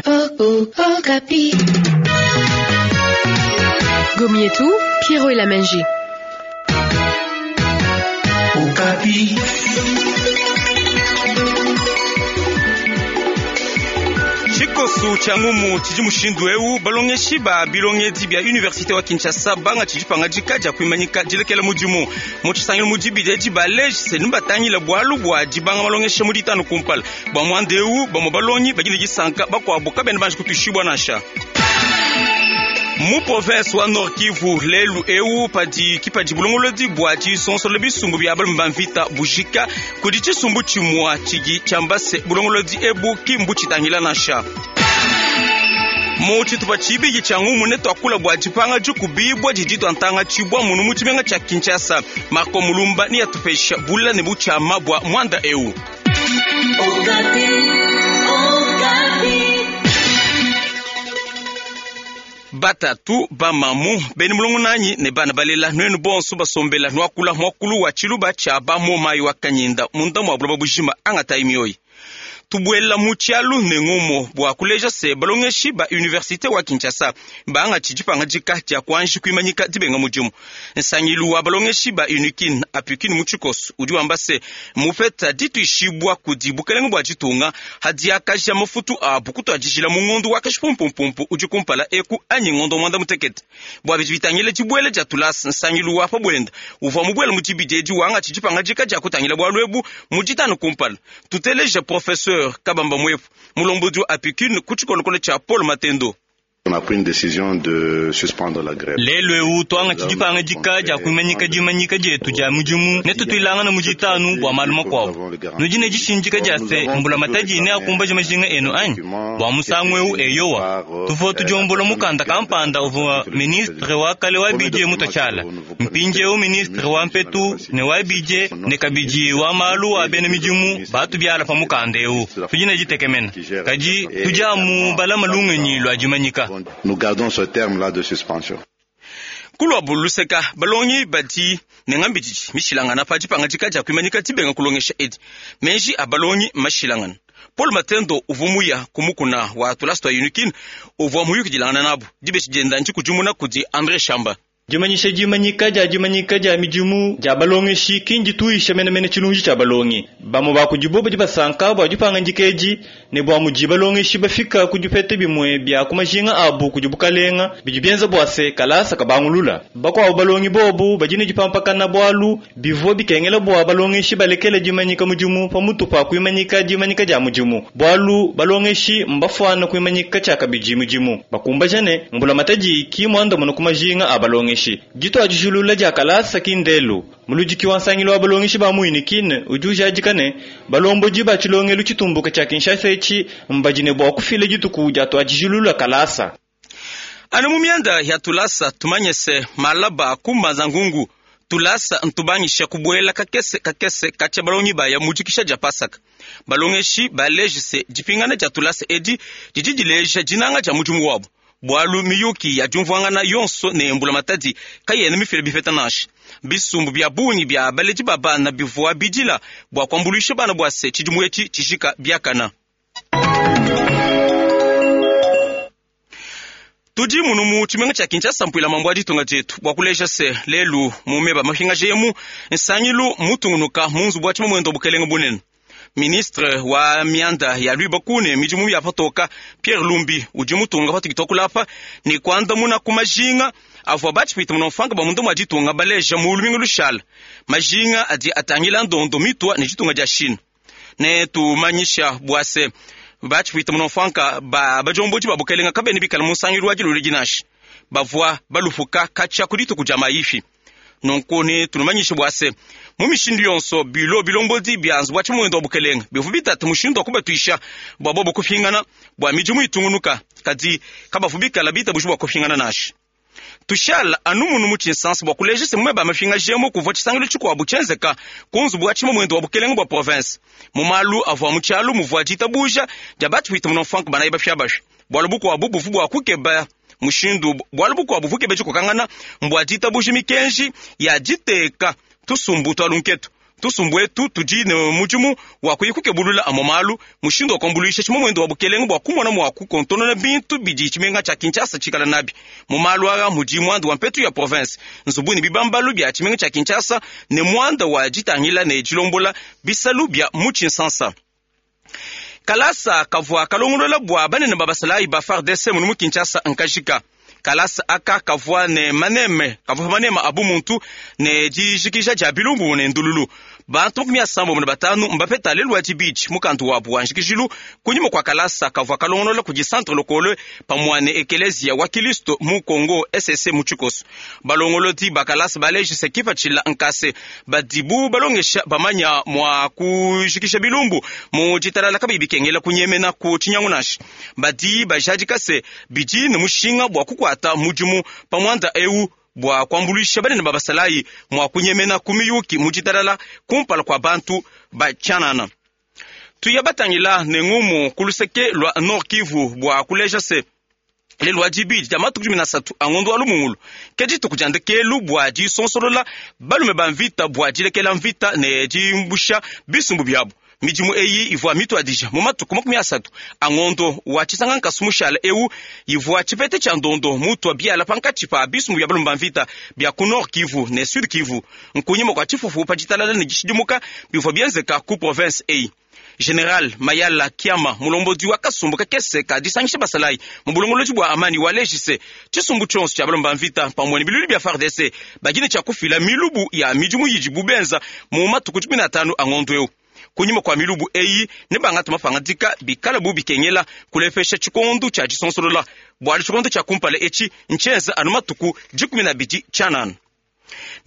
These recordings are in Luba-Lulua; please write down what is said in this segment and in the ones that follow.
Okapi. Gomietu, Pierrot Elamenji. Okapi. Tshikosu tshia ngumu tshidi mushindu eu balongeshi ba bilongedi bia universite wa Kinshasa banga tshidi pangadika dia kuimanyika dilekela mudimu mu tshisangilu mu dibidi edi baleji se nubatangila bualu bua dibanga malongesha mu ditanu kumpala bua muanda eu bamue balongi badi ne disanka bakuabu kabena banji kutuishibua nansha. Mu province wa Nord Kivu lelu eu padi kipadi bulongolodi bua disonsola bisumbu bia balume ba mvita bujika kudi tshisumbu tshimua tshidi tshiamba se bulongolodi ebu ki mbutshitangila nansha. Mu tshitupa tshibidi tshia ngumu ne tuakula bua dipanga dikubibua didi tuantanga tshibua munu mu tshimenga tshia Kinshasa. Marco Mulumba ne yatupesha bula ne butshiama bua muanda eu. Okapi. Okapi. Batatu bamamu beni mulongo nanyi ne bana balela nuenu bonso basombela nuakula muakulu wa tshiluba tshia bamomayi wa kanyinda munda mua buloba bujima angatayi mioyi tubuela mu tshialu ne ngumu bua kuleja se balongeshi ba universite wa Kinshasa bangatshi dipangadika dia kuanji kuimanyika dibenga mudimu. Nsangilu wa balongeshi ba Unikin Apukin mu tshikoso udi wamba se mupeta dituishibua kudi bukelenge bua ditunga hadiakaja mafutu abu kutuadijila mu ngondo wa kashipumpumpu udi kumpala eku anyi ngondo mwanda mutekete. Bua bidi bitangila dibuela dia tulasa, nsangilu wa pa buenda uvua mubuela mu dibidi edi wangatshi dipangadika dia kutangila bualu ebu mu ditanu kumpala. Tuteleja professeur Kabamba Mwepu mulombodi wa Apukin ku tshikolokolo tshia Paul Matendo. On a pris une décision de suspendre la grève. Lelu eu tuangatshi dipangadika dia kuimanyika dimanyika dietu dia mudimu ne tutuilangana mu ditanu bua malu makuabu. Nudi ne dishindika dia se mbulamatadi neakumbaje majinga enu anyi? Bua musangu eu eyowa, tuvua tudiombola mukanda kampanda uvua ministre wa kale wa bidie mututshiala. Mpindieu ministre wa mpetu ne wa bidie ne kabidi wa malu a bena midimu batubiala pa mukanda eu. Tudi ne ditekemena, kadi tudi amu balama lungenyi lua dimanyika. Nous gardons ce terme-là de suspension. Kuluabu luseka balongi badi ne ngambididi mishilangana pa dipangadika dia kuimanyika dibenga kulongesha edi. Meji a balongi mashilangana. Paul Matendo uvua muya ku mukuna wa tulasa tua Unikin uvua muyukidilangana nabu dibeshi dienda ndikudimuna kudi Andre Shamba. Dimanyisha dimanyika dia dimanyika dia midimu dia balongeshi ki ndituisha menemene tshilunji tshia balongi. Bamue ba kudibo badi basanka bua dipangadika edi ne bua mudi balongeshi bafika ku dipeta bimue bia ku majinga abu kudi bukalenga bidi bienza bua se kalasa kabangulula. Bakuabu balongi bobu badi ne dipampakana bualu bivua bikengela bua balongeshi balekele dimanyika mudimu pamutu pa kuimanyika dimanyika dia mudimu, bualu balongeshi mbafuana kuimanyika tshiakabidi mudimu. Bakumbaja ne mbulamatadi ki muandamuna ku majinga a balongeshi. Dituadijulula dia kalasa ki ndelu. Muludiki wa nsangilu wa balongeshi ba mu Unikin udi ujadika ne balombodi ba tshilongelu tshitumbuka tshia Kinshasa etshi mbadi ne bua kufila dituku dia tuadijulula kalasa. Anu mu mianda ya tulasa tumanye se malaba kumbanza ngungu tulasa ntubangisha kubuela kakese kakese katshia balongi baya mu dikisha dia Pasaka. Balongeshi baleje se dipingana dia tulasa edi didi dileja dinanga dia mudimu wabu. Bualu miyuki ya diumvuangana yonso ne mbulamatadi kayena mifile bipeta nansha. Bisumbu bia bungi bia baledi ba bana bivua bidila bua kuambuluisha bana bua se tshidimu etshi tshijika biakana. Tudi munu mu tshimenga tshia Kinshasa mpuila mambo a ditunga dietu bua kuleja se lelu mu meba mapingaja emu nsangilu mutungunuka mu nzubu wa tshimamuende wa bukelenge bunene. Ministre wa mianda ya luibaku ne midimu ya patoka Pierre Lumbi udi mutunga patudi tuakula ne kuandamuna ku majinga avua batshipita munomfanga ba munda mua ditunga baleja mu lumingu lushala. Majinga adi atangila ndondo mitua ne ditunga dia Chine. Ne tumanyisha bua se batshipita munomfanga ba bajombodi ba bukelenga kabene bikala mu nsangilu wa dilolo dinashi bavua balupuka katshia ku dituku dia mayifi. Nunku ne tunumanyishe bua se mu mishindu yonso bilo bilombodi bia nzubu wa tshimamuende wa bukelenga bivua bitata mushindu wa kubatuisha bua bobo kupingana bua midimu itungunuka, kadi kabavu bikala bitabuji bua kupingana nansha. Tushala anu munu mu tshinsansa bua kuleja se mumeba mapingajemu kuvua tshisangilu tshikuabu tshienzeka ku nzubu wa tshimamuende wa bukelenga bua province. Mu malu avua mu tshialu muvua ditabuja dia batshipita munomfanka banayi bapiabapia. Bualu bukuabu buvu bua kukeba mushindu, bualu bukuabu bukebe dikokangana mbua ditabuja mikenji ya diteka tusumbu twa lunketu. Tusumbu etu tudi ne mudimu wa kuya kukebulula amue malu, mushindu wa kuambuluisha tshimamuende wa bukelenge bua kumona mua kukontonona bintu bidi tshimenga tshia Kinshasa tshikala nabi. Mu malu aa mudi muanda wa mpetu ya province, nzubu ne bibambalu bia tshimenga tshia Kinshasa ne muanda wa ditangila ne dilombola bisalu bia mu Tshinsansa. Kalasa kavua kalongolola bua banene ba basalayi ba FARDC munu mu Kinshasa nkajika. Kalasa aka kavua ne maneme, kavua maneme a bumuntu ne dijikija dia bilumbu ne ndululu. Bantu 55 mbapeta lelu wa dibidi mukandu wabu wa njikijilu kunyima kua kalasa kavua kalongolola kudi Centre Lokole pamue ne Ekelezia wa Kilisto mu Congo SSC mu tshikoso. Balongolodi ba kalasa balejise kipatshila nkase badibu balongesha bamanya mua kujikisha bilumbu mu ditalala kabiyi bikengela kunyemena ku tshinyangu nansha. Badi bajadika se bidi ne mushinga bua kukuata mudimu pa muanda eu bua kuambuluisha banene ba basalayi mua kunyemena ku miyuki mu ditalala kumpala kua bantu ba tshianana. Tuya batangila ne ngumu ku luseke lua Nord Kivu bua kuleja se lelu wa dibidi dia matuku 13 a ngondo wa Lumungulu ke dituku dia ndekelu bua disonsolola balume ba mvita bua dilekela mvita ne dimbusha bisumbu biabu. Midimu eyi ivua mituadija mu matuku 30 a ngondo wa Tshisangankasu mushala eu ivua tshipete tshia ndondo mutua biala pankatshi pa bisumbu bia balume ba mvita bia ku Nord Kivu ne Sud Kivu nkunyima kua tshifufu pa ditalala ne dishidimuka bivua bienzeka ku province eyi. General Mayala Kiama mulombodi wa kasumbu kakese ka disangisha basalayi mu bulongolodi bua amani walejise tshisumbu tshionso tshia balume ba mvita pamue ne bilulu bia FARDC badi ne tshia kufila milubu ya midimu yidibu benza mu matuku 15 a ngondo eu. Kunyima kua milubu eyi ne bangata mapangadika bikala bu bikengela kulepesha tshikondo tshia disonsolola bualu tshikondo tshia kumpala etshi ntshienza anu matuku 12 tshianana.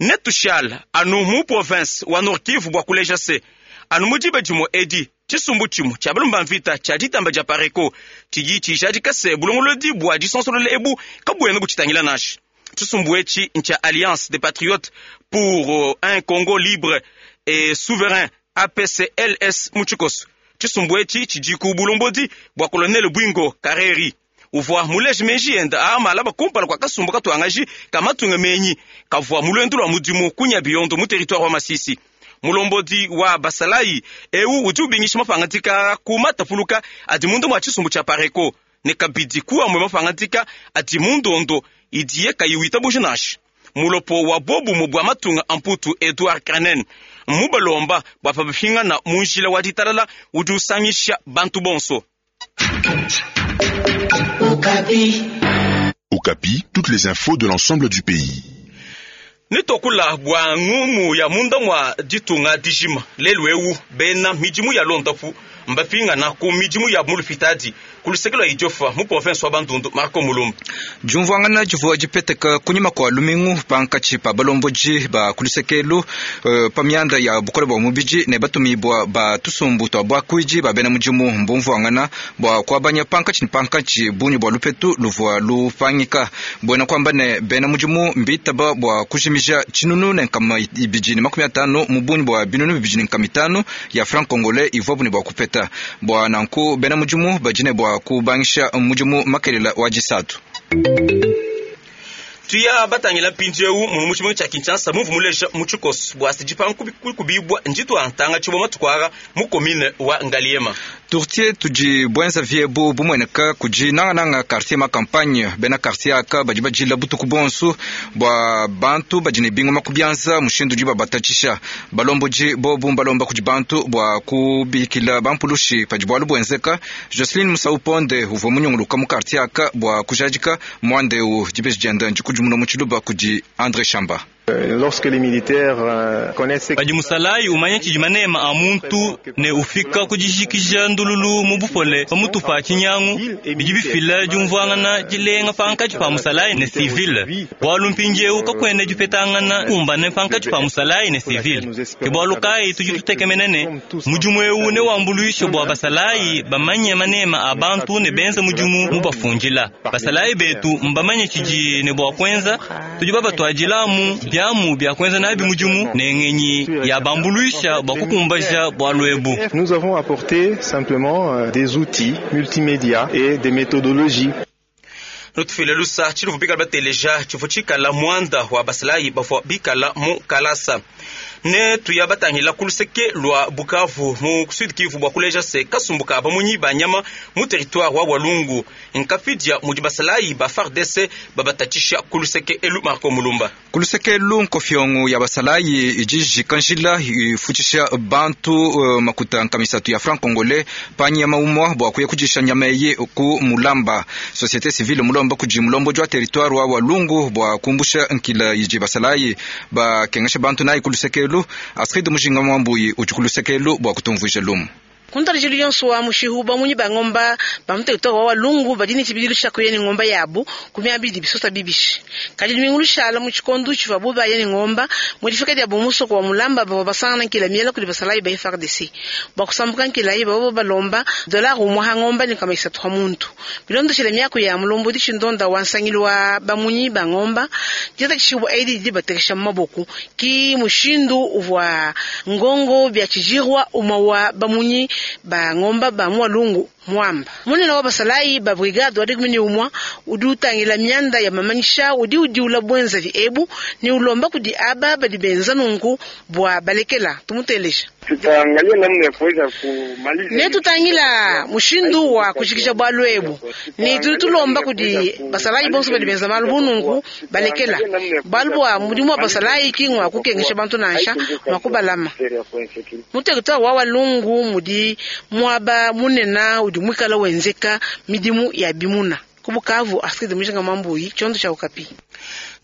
Netushala anu mu province wa Nord Kivu bua kuleja se anu mu diba dimue edi tshisumbu tshimue tshia balume ba mvita tshia ditamba dia Pareko tshidi tshijadika se bulongolodi bua disonsolola ebu kabuena butshitangila nansha. Tshisumbu etshi ntshia Alliance des Patriotes pour un Congo libre et souverain APCLS mu tshikoso. Tshisumbu etshi tshidi ku bulombodi bua Colonel Bwingo Kareri uvua muleje meji enda a malaba kumpala kua kasumbu katuangaji ka matunga menyi kavua mu lua mudimu kunya biyondo mu territoire wa Masisi. Mulombodi wa basalayi eu udi ubingisha mapangadika ku matapuluka adi munda mua tshisumbu tshia Pareko ne kabidi ku amue mapangadika adi mu ndondo idiye kayi witabuja nansha. Mulopo wa bobumu bua matunga a Mputu Edouard Cranen mubalomba bua pabapingana mu njila wa ditalala udi usangisha bantu bonso. Okapi. Okapi, toutes les infos de l'ensemble du pays. Nitokula bua ngumu ya munda mwa ditunga dijima lelu eu bena midimu ya londapu mbapingana ku midimu ya mulupitadi ku luseke lua Idiofa mu province wa Bandundu. Marco Mulumba. Jumvuangana jivua jipeteka kunyima kua lumingu pankatshi pa balomboji ba ku lusekelu pa mianda ya bukole bua mubidi ne batumibua ba tusumbu tua buakuidi ba bena mudimu mbumvuangana bua kuabanya pankatshi ne pankatshi bungi bua lupetu luvua lupangika buena kuamba ne bena mudimu mbitaba bua kujimija tshinunu ne nkama ibidi ne makumi atanu mu bungi bua binunu bibidi ne nkama itanu ya franc congolais ivuabu ne bua kupeta bua nanku bena mudimu badi ne bua kubangisha mudimu makelela wa disatu. Tuya batangila mpindieu mu tshimenga tshia Kinshasa mumvu muleja mu tshikoso bua se dipangu kubibwa njitu antanga tshibwa matuku aka mu commune wa Ngaliema. Tourtier tudi bwenza viebu bumueneka kudi nangananga quartier ma campagne bena quartier aka badi badila butuku bonso bua bantu badi ne bingoma ku bianza mushindu udi babatatshisha balombodi bobu mbalomba kudi bantu bua kubikila bampulushi padi bualu buenzeka. Jocelyn Musauponde uvua munyunguluka mu quartier aka bua kujadika muanda eu dibeji dienda ndikudimuna mu tshiluba kudi André Chamba. Lorsque les militaires connaissent padi musalayi umanya tshidi manema a muntu ne ufika kudijikija ndululu mu bupole pamutu pa tshinyangu bidi bifila diumvuangana dilenga pankatshi pa musalayi ne civile bualu mpindieu kakuena dipetangana kumbane pankatshi pa musalayi ne civile ke bualu kayi tudi tutekemena ne mudimu eu newambuluishe bua basalayi bamanye manema a bantu ne benza mudimu mubafundila basalayi betu mbamanye tshidi ne bua kuenza tudi babatuadilamu biamu bia kuenza nabi mudimu ne ngenyi ya bambuluisha bua kukumbaja bualu ebu. Nous avons apporté simplement des outils multimédia et des méthodologies. Nutufile lusa tshiluvu bikala bateleja tshivu tshikala muanda wa basalayi bavua bikala mu kalasa. Ne tuya batangila ku luseke lua Bukavu mu Sud Kivu bua kuleja se kasumbu ka bamunyi ba nyama mu territoire wa Walungu nkapidia mudi basalayi ba FARDC babatatshisha ku luseke elu. Marco Mulumba. Ku luseke elu nkofiongo ya basalayi idi jika njila ifutshisha bantu makuta nkamisatu ya franc congolais pa nyama umwa bua kuya kudisha nyama eyi ku Mulamba. Société civile mulomba kudi mulombodi wa territoire wa Walungu bua kumbusha nkila idi basalayi bakengesha bantu nayi ku luseke elu. Astrid Mujinga Mwambuyi udi ku luseke elu bua kutumvuija lumu. Kuntarjilu yonso wa mushihu bamunyi ba ngomba ba mu territoire wa Walungu badi ne tshibidilu tshia kuya ne ngomba yabu ku miaba idi bisota bibishi. Kadi lumingu lushala mu tshikondo tshivua bo baya ne ngomba mu difika dia musoko wa Mulamba bavua basangana nkila miela kudi basalayi ba FARDC. Bua kusambuka nkila eyi bavua balomba dollar umue ha ngomba ne nkama isatu ha muntu. Bilondeshile miaku ya mulombodi tshindonda wa nsangilu wa bamunyi ba ngomba, ditakishibua edi didi batekesha mu maboko ki mushindu uvua ngongo bia tshijirwa umue wa bamunyi ba ngomba ba mu Walungu mwamba. Munene wa basalayi ba brigade wa dikumi ne umua udi utangila mianda ya mamanyisha udi udiula bwenzavi ebu ne ulomba kudi aba badi benza nunku bua balekela. Tumuteleja. Tutaangalia namna ya kuweza kumaliza. Ne tutangila mushindu wa kushikisha bwalu ebu. Ne tudi tulomba kudi basalayi bonso badi benza malu bununku balekela. Bwalu bwa mudimu wa basalayi ki ngwa kukengesha bantu nansha ngwa kubalama. Mu territoire wa Walungu mudi mwaba munena udi mwikala wenzeka midimu ya bimuna. Ku Bukavu, Astrid Mujinga Mwambuyi, tshiondo tshia Okapi.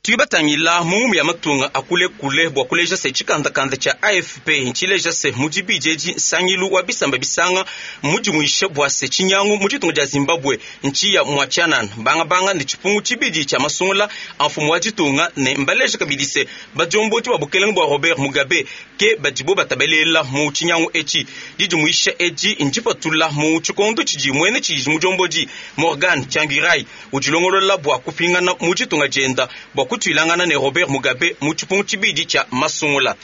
Tuyibatangila mu ya matunga akule kule bua kuleja se tshikandakanda tshia AFP ntshileja se mudi bijeji nsangilu wa bisamba bisanga mudimuishe bua se tshinyangu mu ditunga dia Zimbabwe ntshiya mua tshianana bangabanga ne tshipungu tshibidi tshia masungula a mfumu wa ditunga ne mbaleja kabidi se badiombodi ba bukelenge bua Robert Mugabe ke badibo batabelela mu tshinyangu etshi. Didimuisha edi ndipatula mu tshikondo tshidi muene tshidi mudiombodi Morgan Tsvangirai udilongolola bua kupingana mu ditunga dienda bua kutuilangana ne Robert Mugabe mu tshipungu tshibidi tshia masungula.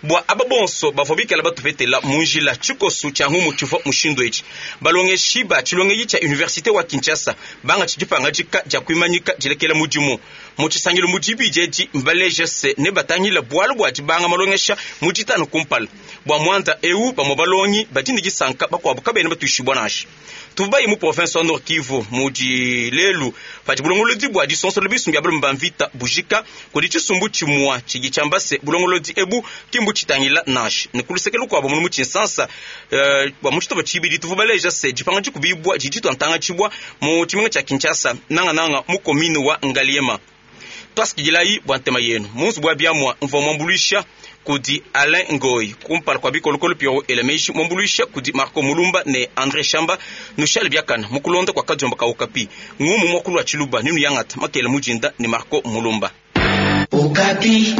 Bua aba bonso bavua bikala batupetela mu njila tshikosu tshia ngumu tshivua mushindu etshi. Balongeshi ba tshilongeli tshia Université wa Kinshasa banga tshidipangajika dia kuimanyika dilekela mudimu. Mu tshisangilu mu dibidi edi mbaleje se ne batangila bualu bua dibanga malongesha mu ditanu kumpala. Bua muanda eu bamue balongi badi ne disanka bakuabu kabena batuishibua nansha. Tubayi mu province wa Nord Kivu mudi lelu padi bulongolodi bua disonsola bisumbi bya balume ba mvita bujika kudi tshisumbu tshimua tshidi tshiamba se bulongolodi ebu kimbu tshitangila nansha. Ne ku luseke lukuabu munu mu Tshinsansa, bua mu tshitupa tshibidi tuvua baleja se dipanga dikubibua didi tuantangatshibua mu tshimenga tshia Kinshasa nangananga mu commune wa Ngaliema. Twasikidilayi bua ntema yenu mu nzubu wa biamua mvua muambuluisha kudi Alain Ngoy kumpala kwa bikolokolo Pierrot Elameji muambuluisha kudi Marco Mulumba ne André Shamba nushale biakana mukulonda kwa kadiomba ka Okapi ngumu mwakulu wa Tshiluba ninu yangata makela mujinda ne Marco Mulumba. Okapi.